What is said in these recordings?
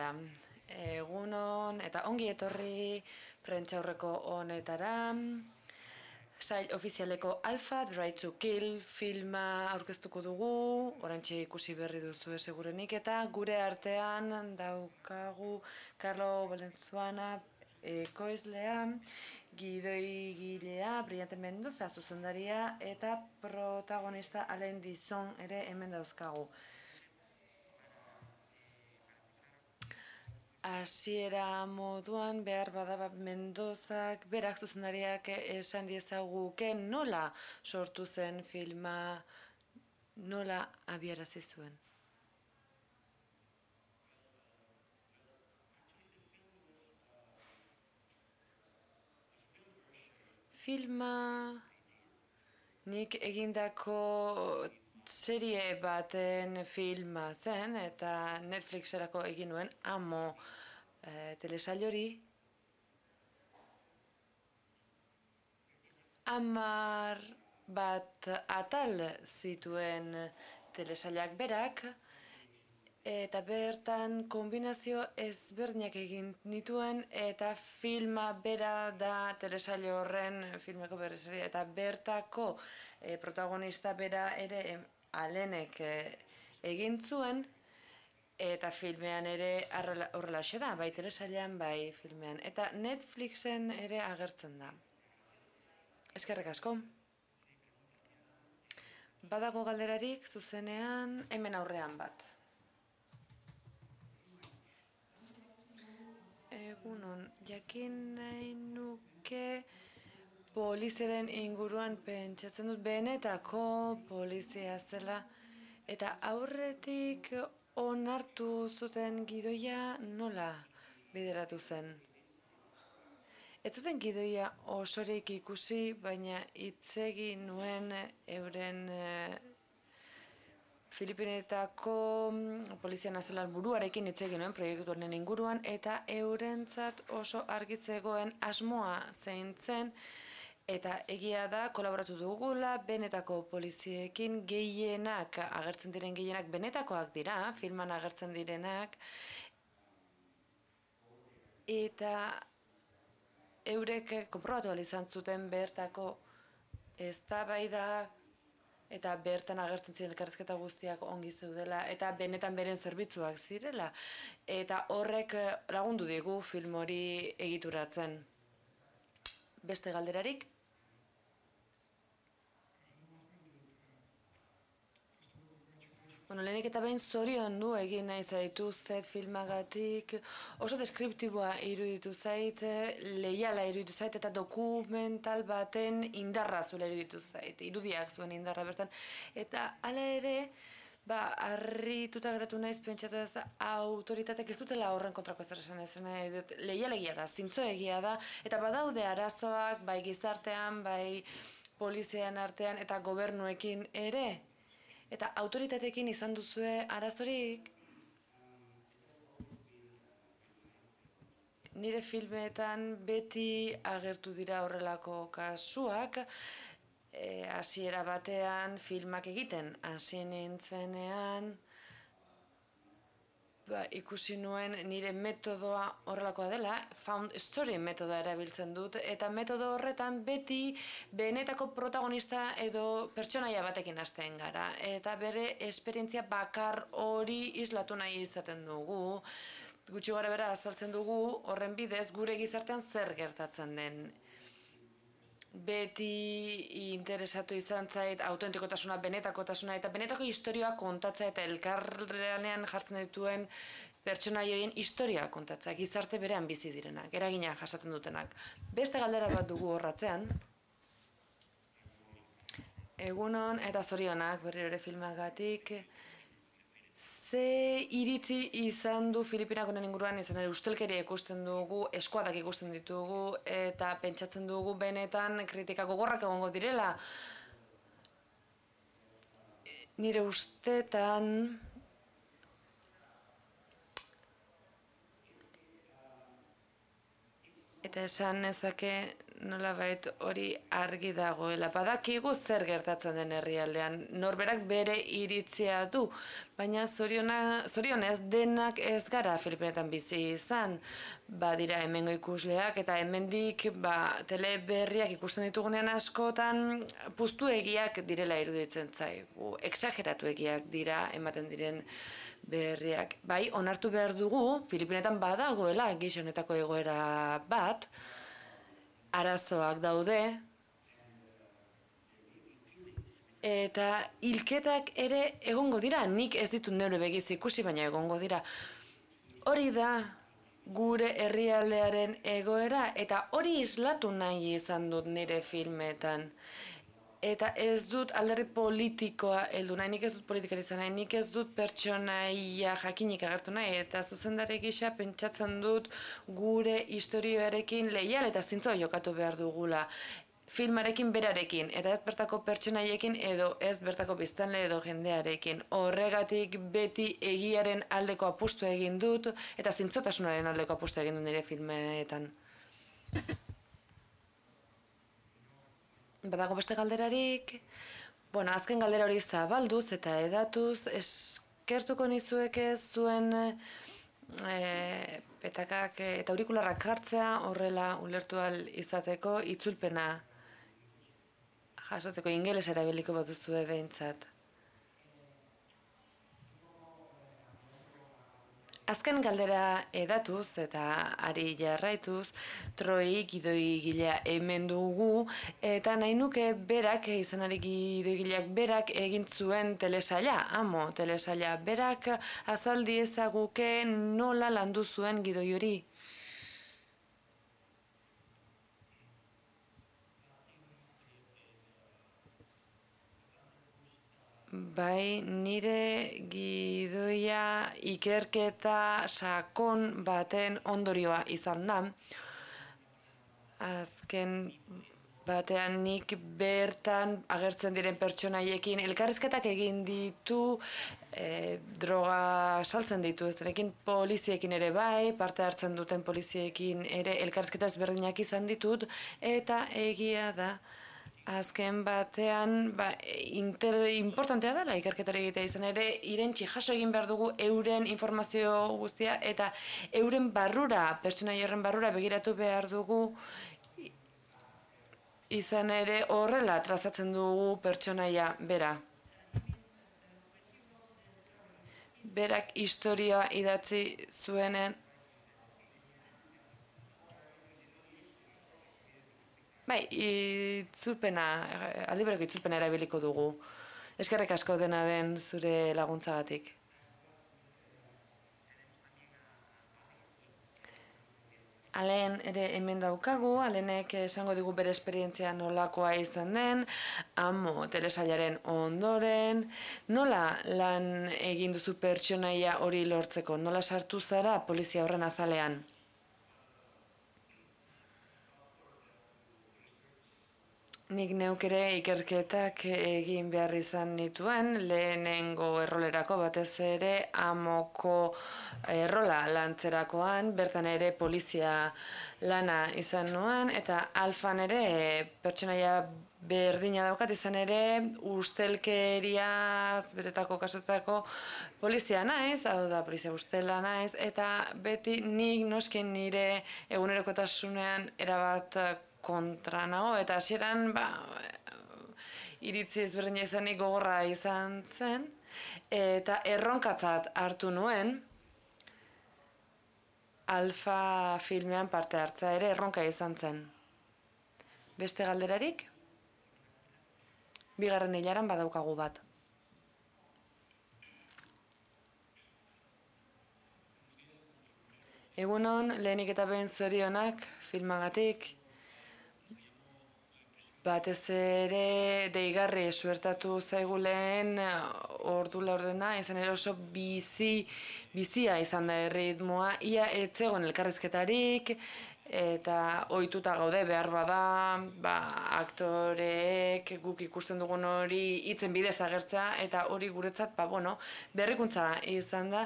Bera, egunon eta ongi etorri prentsaurreko honetara. Sail ofizialeko Alpha, The Right to Kill filma aurkeztuko dugu, orantxe ikusi berri duzu segurenik, eta gure artean daukagu Carlo Valenzuela ekoizlea, gidoigilea Brillante Mendoza zuzendaria eta protagonista Alain Disson ere hemen dauzkagu. Hasiera moduan behar bada Mendozak berak zuzendariak esan diezaguke nola sortu zen filma, nola abiarazi zuen. Filma nik egindako serie baten filma zen, eta Netflixerako egin nuen Amo telesail hori. 10 atal zituen telesailak berak, eta bertan kombinazio ezberdinak egin nituen, eta filma bera da telesail horren filmeko berrizeria, eta bertako protagonista bera ere Alenek egin zuen, eta filmean ere horrelaxe da, bai telesailean, bai filmean. Eta Netflixen ere agertzen da. Eskerrik asko. Badago galderarik zuzenean hemen aurrean bat. Egunon, jakin nahi nuke poliziaren inguruan pentsatzen dut benetako polizia zela, eta aurretik onartu zuten gidoia nola bideratu zen. Ez zuten gidoia osorik ikusi, baina hitz egin nuen euren Filipinetako Polizia Nazional buruarekin hitz egin nuen proiektu honen inguruan, eta eurentzat oso argi zegoen asmoa zein zen, eta egia da kolaboratu dugula benetako poliziekin, gehienak agertzen diren gehienak benetakoak dira, filman agertzen direnak, eta eurek konprobatu ahal izan zuten bertako eztabaidak eta bertan agertzen ziren elkarrizketa guztiak ongi zeudela, eta benetan beren zerbitzuak zirela, eta horrek lagundu digu film hori egituratzen. Beste galderarik? Lehenik eta behin zoriondu egin nahi zaituztet filmagatik, oso deskriptiboa iruditu zait, leiala iruditu zait, eta dokumental baten indarra zuela iruditu zait, irudiak zuen indarra bertan. Eta hala ere, harrituta geratu naiz pentsatu ez autoritatek ez dutela horren kontrako ezer esan leialegia da, zintzoegia da, eta badaude arazoak, bai gizartean, bai polizian artean, eta gobernuekin ere. Eta autoritatekin izan duzue arazorik? Nire filmetan beti agertu dira horrelako kasuak, hasiera batean filmak egiten hasi nintzenean, ikusi nuen nire metodoa horrelakoa dela, found story metodoa erabiltzen dut, eta metodo horretan beti benetako protagonista edo pertsonaia batekin hasten gara, eta bere esperientzia bakar hori islatu nahi izaten dugu, gutxi gara bera azaltzen dugu horren bidez gure gizartean zer gertatzen den. Beti interesatu izan zait autentikotasuna, benetakotasuna, eta benetako historioa kontatzea eta elkarrenean jartzen dituen pertsonaioien historia kontatzea, gizarte berean bizi direnak, eragina jasaten dutenak. Beste galdera bat dugu horratzean. Egunon eta zorionak berriro ere filmagatik. Ze iritzi izan du Filipinak honen inguruan, izan ere ustelkeria ikusten dugu, eskuadak ikusten ditugu, eta pentsatzen dugu benetan kritika gogorrak egongo direla. Nire ustetan eta esan nezake nolabait hori argi dagoela. Badakigu zer gertatzen den herrialdean, norberak bere iritzia du, baina zorionez denak ez gara Filipinetan bizi izan. Badira hemengo ikusleak eta hemendik teleberriak ikusten ditugunean askotan puztuegiak direla iruditzen zaigu, exageratuegiak dira ematen diren berriak. Bai, onartu behar dugu, Filipinetan badagoela gisa honetako egoera bat, arazoak daude, eta hilketak ere egongo dira, nik ez ditut neure begiz ikusi, baina egongo dira. Hori da gure herrialdearen egoera, eta hori islatu nahi izan dut nire filmetan. Eta ez dut alderdi politikoa heldu nahi, nik ez dut politikari izan nahi, nik ez dut pertsonaia jakinik agertu nahi, eta zuzendari gisa pentsatzen dut gure historioarekin leial eta zintzo jokatu behar dugula. Filmarekin berarekin, eta ez bertako pertsonaiekin edo ez bertako biztanle edo jendearekin. Horregatik beti egiaren aldeko apustu egin dut, eta zintzotasunaren aldeko apustu egin dut nire filmeetan. Badago beste galderarik, azken galdera hori zabalduz eta edatuz, eskertuko nizueke zuen petakak eta aurikularrak jartzea, horrela ulertu ahal izateko itzulpena jasoteko ingeles erabiliko baduzue behintzat. Azken galdera edatuz eta ari jarraituz, Troi gidoigilea hemen dugu, eta nahi nuke berak, izanari gidoigileak berak egin zuen telesaila, telesaila, berak azaldi ezaguke nola landu zuen gidoi hori. Bai, nire gidoia ikerketa sakon baten ondorioa izan da. Azken batean nik bertan agertzen diren pertsonaiekin elkarrizketak egin ditu, droga saltzen ditu, ezrekin poliziekin ere bai, parte hartzen duten poliziekin ere elkarrizketa ezberdinak izan ditut, eta egia da. Azken batean, importantea dela ikerketari egitea izan ere, irentxi jaso egin behar dugu euren informazio guztia eta euren barrura, pertsonaia horren barrura begiratu behar dugu izan ere horrela trazatzen dugu pertsonaia bera. Berak historia idatzi zuenen bai, aldi bereko itzulpena erabiliko dugu. Eskerrik asko dena den zure laguntzagatik. Alen ere hemen daukagu, Alenek esango digu bere esperientzia nolakoa izan den, telesailaren ondoren, nola lan egin duzu pertsonaia hori lortzeko, nola sartu zara polizia horren azalean? Nik neuk ere ikerketak egin behar izan nituen, lehenengo errolerako batez ere amoko errola lantzerakoan, bertan ere polizia lana izan nuen, eta alfan ere pertsonaia berdina daukat izan ere ustelkeriaz betetako kasutako polizia naiz, hau da polizia ustela naiz, eta beti nik noskin nire egunerokotasunean erabat kontra nago, eta hasieran iritzi ezberdina izanik gogorra izan zen, eta erronkatzat hartu nuen alfa filmean parte hartza ere erronka izan zen. Beste galderarik? Bigarren hilaran badaukagu bat. Egunon, lehenik eta behin zorionak filmagatik, batez ere deigarri suertatu zaigu lehen ordu laurdena, izan ere oso bizia izan da erritmoa, ia etzegon elkarrizketarik, eta ohituta gaude behar bada, aktoreek guk ikusten dugun hori hitzen bidez agertzea, eta hori guretzat, berrikuntza izan da.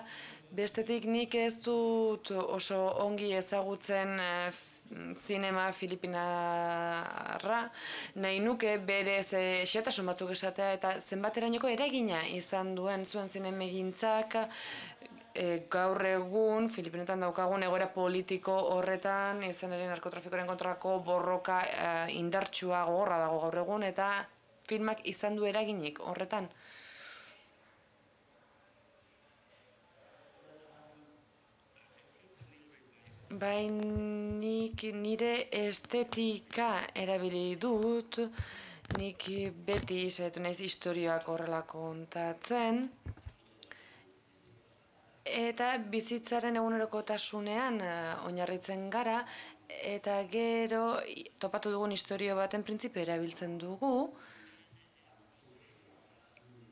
Bestetik nik ez dut oso ongi ezagutzen zinema filipinarra, nahi nuke berez xehetasun batzuk esatea eta zenbaterainoko eragina izan duen zuen zinemegintzak gaur egun Filipinetan daukagun egoera politiko horretan, izan ere narkotrafikoaren kontrako borroka indartsua gogorra dago gaur egun, eta filmak izan du eraginik horretan. Bai, nik nire estetika erabili dut, nik beti saiatu naiz istorioak horrela kontatzen, eta bizitzaren egunerokotasunean oinarritzen gara, eta gero topatu dugun istorio baten printzipio erabiltzen dugu,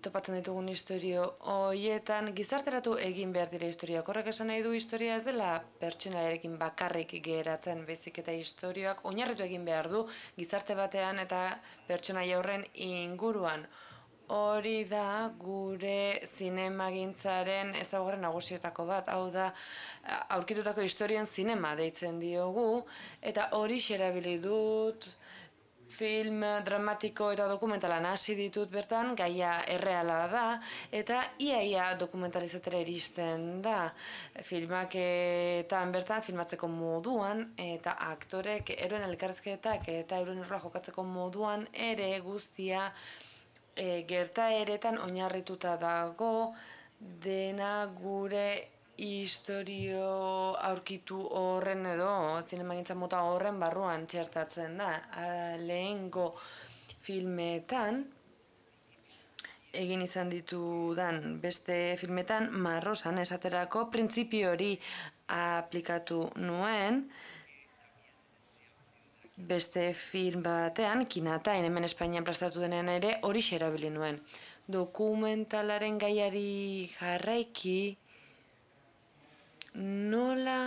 topatzen ditugun istorio horietan gizarteratu egin behar dira historiak. Horrek esan nahi du historia ez dela pertsonaiarekin bakarrik geratzen, baizik eta istorioak oinarritu egin behar du gizarte batean eta pertsonaia horren inguruan. Hori da gure zinemagintzaren ezaugarri nagusietako bat, hau da aurkitutako historien zinema deitzen diogu, eta hori erabili dut film dramatiko eta dokumentalan hasi ditut bertan, gaia erreala da, eta iaia dokumentalizatera iristen da. Filmaketan bertan, filmatzeko moduan, eta aktorek eroen elkarrizketak eta euren erroa jokatzeko moduan ere guztia gertaeretan oinarrituta dago, dena gure historio aurkitu horren edo zinemagintza mota horren barruan txertatzen da. Lehengo filmetan, egin izan ditudan beste filmetan, Marrosan esaterako printzipio hori aplikatu nuen, beste film batean, Kinatain, hemen Espainian plazaratu denean ere, hori erabili nuen. Dokumentalaren gaiari jarraiki, nola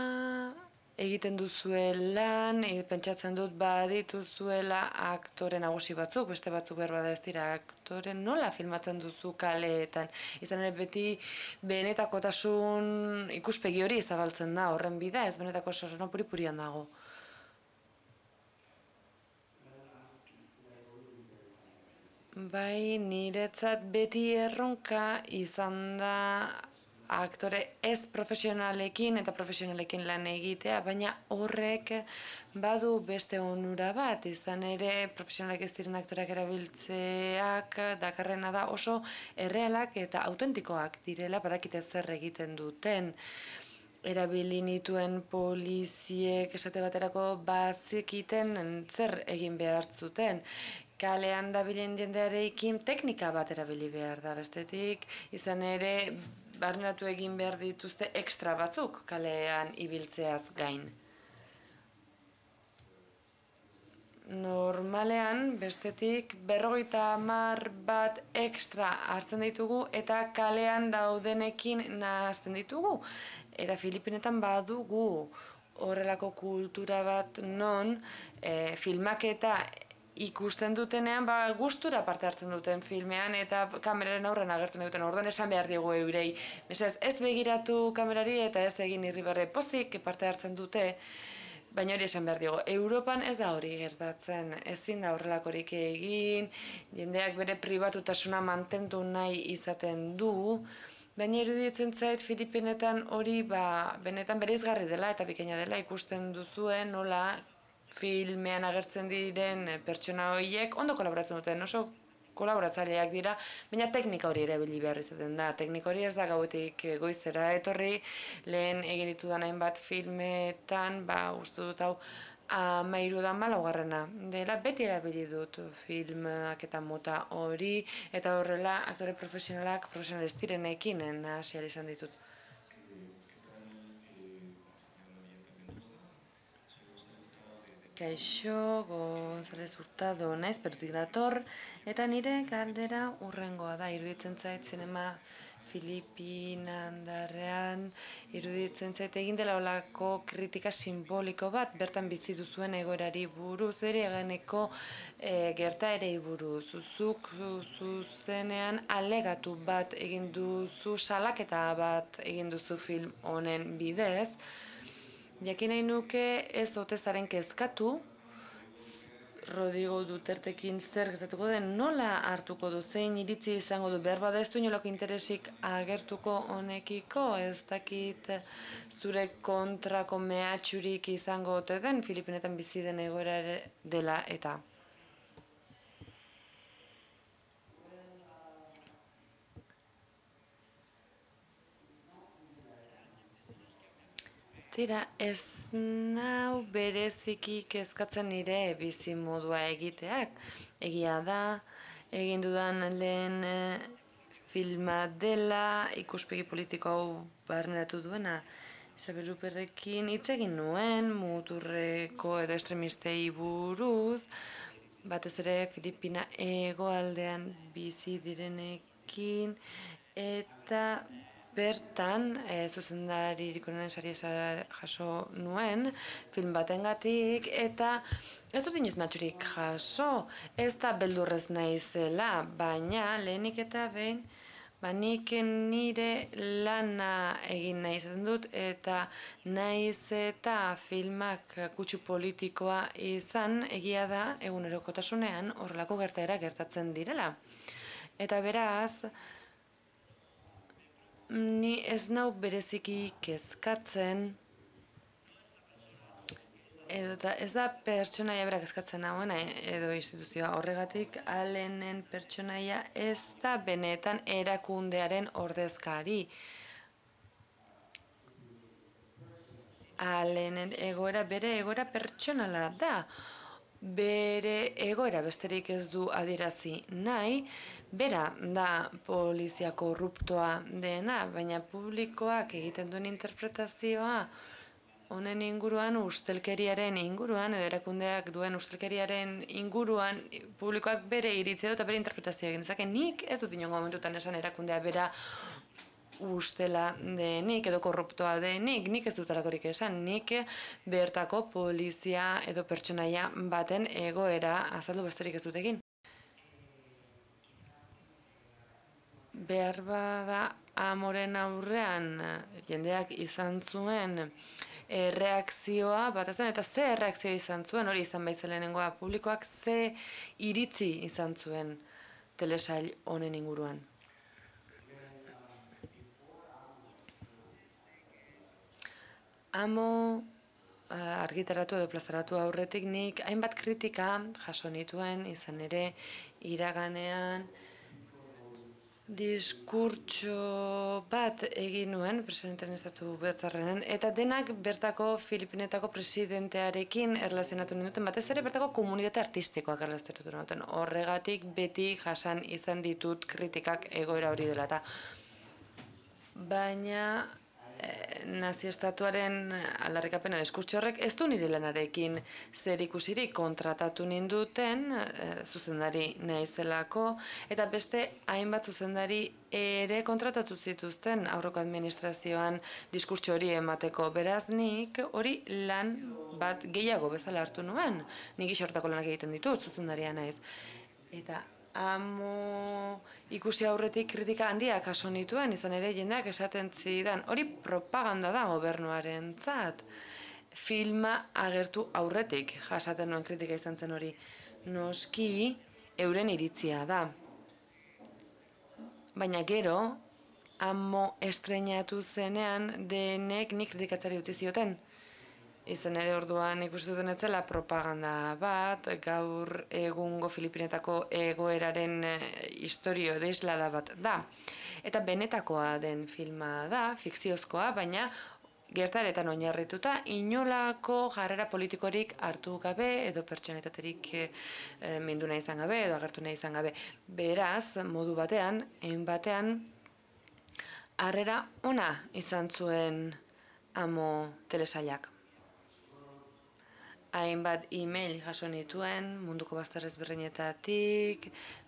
egiten duzuelan, pentsatzen dut badituzuela aktore nagusi batzuk, beste batzuk behar bada ez dira aktore, nola filmatzen duzu kaleetan? Izan ere beti benetakotasun ikuspegi hori zabaltzen da, horren bida ez benetako sorrena puri-purian dago. Bai, niretzat beti erronka izan da aktore ez profesionalekin eta profesionalekin lan egitea, baina horrek badu beste onura bat, izan ere profesionalak ez diren aktoreak erabiltzeak dakarrena da oso errealak eta autentikoak direla, badakite zer egiten duten. Erabili nituen poliziek esate baterako bazekiten zer egin behar zuten. Kalean dabilen jendearekin teknika bat erabili behar da, bestetik izan ere barneratu egin behar dituzte ekstra batzuk kalean ibiltzeaz gain. Normalean, bestetik, 50 bat ekstra hartzen ditugu eta kalean daudenekin nahazten ditugu. Era Filipinetan badugu horrelako kultura bat non filmaketa ikusten dutenean gustura parte hartzen duten filmean eta kameraren aurren agertu nahi duten. Orduan esan behar diegu eurei. Ez begiratu kamerari eta ez egin irribarre pozik parte hartzen dute. Baina hori esan behar digo, Europan ez da hori gertatzen, ezin da horrelakorik egin, jendeak bere pribatutasuna mantendu nahi izaten du, baina iruditzen zait Filipinetan hori benetan bereizgarri dela eta bikaina dela ikusten duzuen nola filmean agertzen diren pertsona horiek ondo kolaboratzen duten, oso kolaboratzaileak dira, baina teknika hori erabili behar izaten da. Teknika hori ez da gauetik goizera etorri, lehen egin ditudan hainbat filmetan, uste dut hau 13 dela, beti erabili dut filmak eta mota hori, eta horrela aktore profesionalak ez direnekin hasi ahal izan ditut. Kaixo, González Hurtado naiz, Perutik dator, eta nire galdera hurrengoa da, iruditzen zait zinema Filipinandarrean, iruditzen zait egin dela olako kritika simboliko bat, bertan bizi duzuen egoerari buruz, bere eganeko gertaerei buruz, zuk zuzenean alegatu bat egin duzu, salaketa bat egin duzu film honen bidez, Jakin nahi nuke ez ote zaren kezkatu, Rodrigo Dutertekin zer gertatuko den, nola hartuko du, zein iritzi izango du, behar bada ez du inolako interesik agertuko honekiko, ez dakit zure kontrako mehatxurik izango ote den, Filipinetan bizi den egoera dela eta. Tira, ez nau bereziki kezkatzen nire bizi modua egiteak. Egia da, egin dudan lehen filma dela, ikuspegi politiko hau barneratu duena. Isabel Luperrekin hitz egin nuen, muturreko edo estremistei buruz, batez ere Filipina hegoaldean bizi direnekin, eta bertan, zuzendaririk onenen saria jaso nuen, film batengatik, eta ez dut inoiz matxurik jaso, ez da beldurrez naizela, baina lehenik eta behin, nik nire lana egin nahi izaten dut, eta naiz eta filmak kutsu politikoa izan, egia da, egunerokotasunean horrelako gertaera gertatzen direla. Eta beraz, ni ez nau bereziki kezkatzen, edo ez da pertsonaia berak kezkatzen nagoena edo instituzioa horregatik, Allenen pertsonaia ez da benetan erakundearen ordezkari. Allenen egoera bere egoera pertsonala da. Bere egoera besterik ez du adierazi nahi, bera da polizia korruptoa dena, baina publikoak egiten duen interpretazioa honen inguruan, ustelkeriaren inguruan, edo erakundeak duen ustelkeriaren inguruan, publikoak bere iritzia eta bere interpretazioa egin dezake. Nik ez dut inongo momentutan esan erakundea bera ustela denik edo korruptoa denik, nik ez dut alakorik esan, nik bertako polizia edo pertsonaia baten egoera azaldu besterik ez dut egin. Behar bada Amoren aurrean jendeak izan zuen reakzioa bat ezen, eta ze reakzioa izan zuen, hori izan baizelenengoa, publikoak ze iritzi izan zuen telesail honen inguruan. Amo argitaratu edo plazaratu aurretik nik hainbat kritika jaso nituen, izan ere iraganean diskurtso bat egin nuen presidentearen estatu batzarrean, eta denak bertako Filipinetako presidentearekin erlazionatu ninduten, batez ere bertako komunitate artistikoak erlazionatu ninduten. Horregatik beti jasan izan ditut kritikak egoera hori dela. Baina nazio-estatuaren aldarrikapena diskurtso horrek ez du nire lanarekin zer ikusirik, kontratatu ninduten zuzendari naizelako, eta beste hainbat zuzendari ere kontratatu zituzten aurreko administrazioan diskurtso hori emateko. Beraz nik hori lan bat gehiago bezala hartu nuen. Nik isortako lanak egiten ditut, zuzendaria naiz. Eta Amo ikusi aurretik kritika handiak jaso nituen, izan ere jendeak esaten zidan, hori propaganda da gobernuarentzat. Filma agertu aurretik jasaten nuen kritika izan zen hori. Noski euren iritzia da. Baina gero, Amo estreinatu zenean denek nik kritikatzari utzi zioten. Izan ere orduan ikusi zuten etzela propaganda bat, gaur egungo Filipinetako egoeraren istorio edo islada bat da. Eta benetakoa den filma da, fikziozkoa, baina gertaretan oinarrituta inolako jarrera politikorik hartu gabe edo pertsonalitaterik mindu nahi izan gabe edo agertu nahi izan gabe. Beraz, modu batean, batean, harrera ona izan zuen Amo telesailak. Hainbat e-mail jaso nituen munduko bazter ezberdinetatik,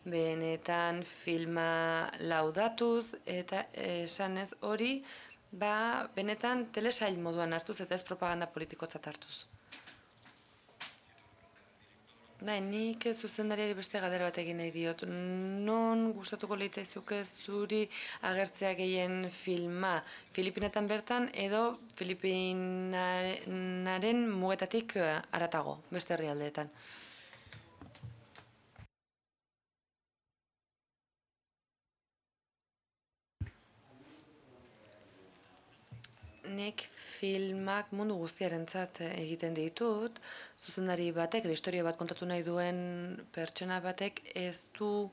benetan filma laudatuz, eta esanez hori, benetan telesail moduan hartuz eta ez propaganda politikotzat hartuz. Bai, nik zuzendariari beste galdera bat egin nahi diot. Non gustatuko litzaizuke zuri agertzea gehien filma? Filipinetan bertan edo Filipinaren mugetatik haratago, beste herrialdeetan? Nik filmak mundu guztiarentzat egiten ditut, zuzendari batek edo historia bat kontatu nahi duen pertsona batek ez du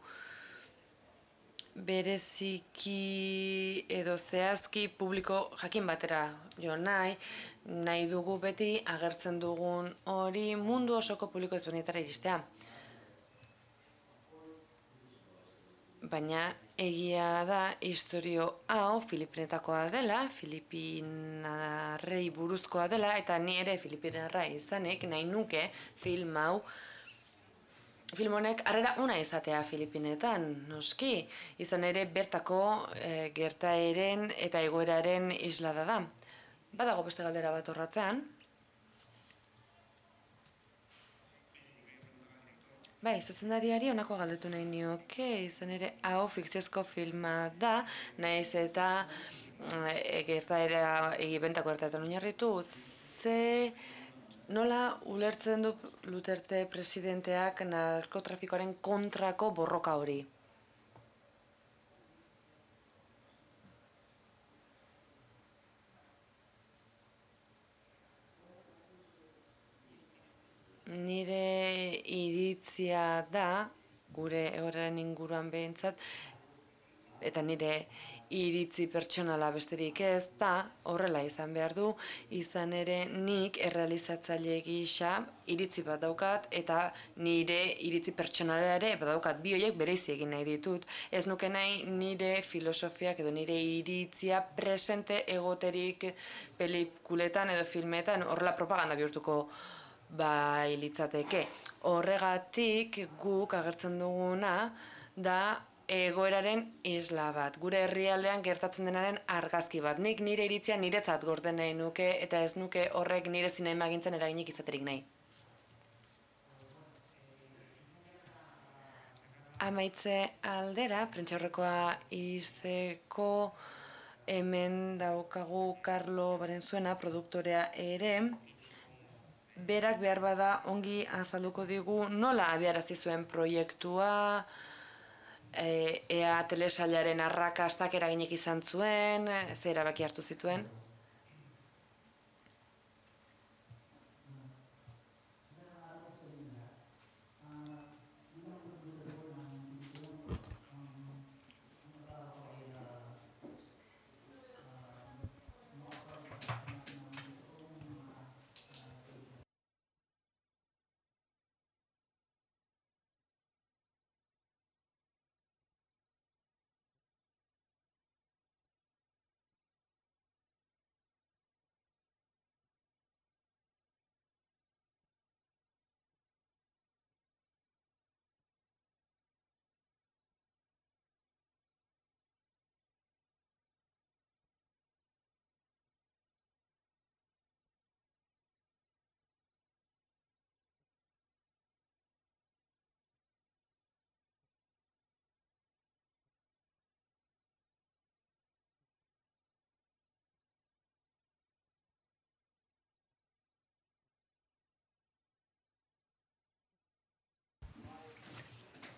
bereziki edo zehazki publiko jakin batera jo nahi dugu beti agertzen dugun hori mundu osoko publiko ezberdinetara iristea. Baina egia da historio hau Filipinetakoa dela, Filipinarrei buruzkoa dela, eta ni ere Filipinarra izanik nahi nuke film hau, film honek harrera ona izatea Filipinetan, noski, izan ere bertako gertaeren eta egoeraren islada da. Badago beste galdera bat horratzean. Bai, zuzendariari honako galdetu nahi nioke, izan ere hau fikziozko filma da, nahiz eta gertaera egibentako gertaetan oinarritu, nola ulertzen du Duterte presidenteak narkotrafikoaren kontrako borroka hori? Nire iritzia da, gure egoeraren inguruan behintzat, eta nire iritzi pertsonala besterik ez da, horrela izan behar du, izan ere nik errealizatzaile gisa iritzi bat daukat, eta nire iritzi pertsonala ere badaukat, bi horiek bereizi egin nahi ditut. Ez nuke nahi nire filosofiak edo nire iritzia presente egoterik pelikuletan edo filmetan horrela propaganda bihurtuko bai litzateke. Horregatik guk agertzen duguna da egoeraren isla bat, gure herrialdean gertatzen denaren argazki bat. Nik nire iritzia niretzat gorden nahi nuke eta ez nuke horrek nire zinemagintzen eraginik izaterik nahi. Amaitze aldera, prentxaurrekoa izeko hemen daukagu Carlo Barenzuena, produktorea ere, berak behar bada ongi azalduko digu nola abiarazi zuen proiektua, ea telesailaren arrakastak eraginek izan zuen, ze erabaki hartu zituen.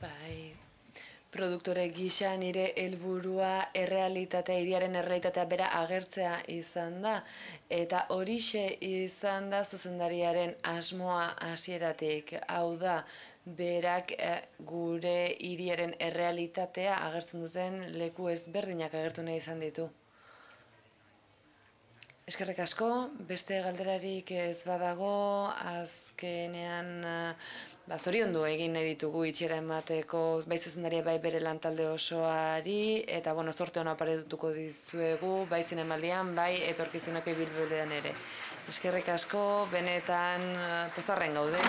Bai, produktore gisa nire helburua errealitatea, hiriaren errealitatea bera agertzea izan da, eta horixe izan da zuzendariaren asmoa hasieratik. Hau da, berak gure hiriaren errealitatea agertzen duten leku ezberdinak agertu nahi izan ditu. Eskerrik asko, beste galderarik ez badago, azkenean zoriondu egin nahi ditugu itxera emateko bai zuzendaria bai bere lantalde osoari, eta zorte hona paretuko dizuegu, bai zinemaldian, bai etorkizuneko ibilbidean ere. Eskerrik asko, benetan pozarren gaude.